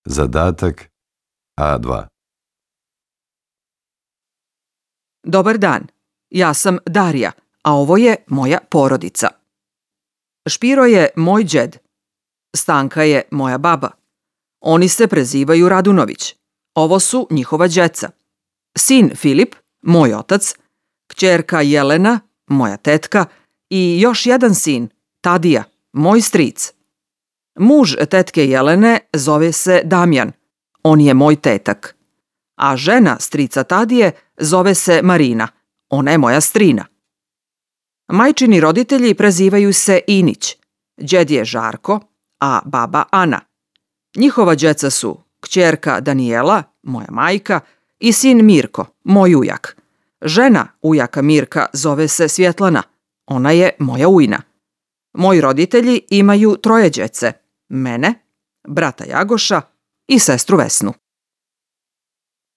Zadatak A2. Dobar dan, ja sam Darija, a ovo je moja porodica. Špiro je moj đed. Stanka je moja baba. Oni se prezivaju Radunović. Ovo su njihova đeca. Sin Filip, moj otac, kćerka Jelena, moja tetka i još jedan sin, Tadija, moj stric. Muž tetke Jelene zove se Damjan, on je moj tetak. A žena strica Tadije zove se Marina, ona je moja strina. Majčini roditelji prezivaju se Inić, đed je Žarko, a baba Ana. Njihova đeca su kćerka Danijela, moja majka, i sin Mirko, moj ujak. Žena ujaka Mirka zove se Svjetlana, ona je moja ujna. Moji roditelji imaju 3 đece, mene, brata Jagoša i sestru Vesnu.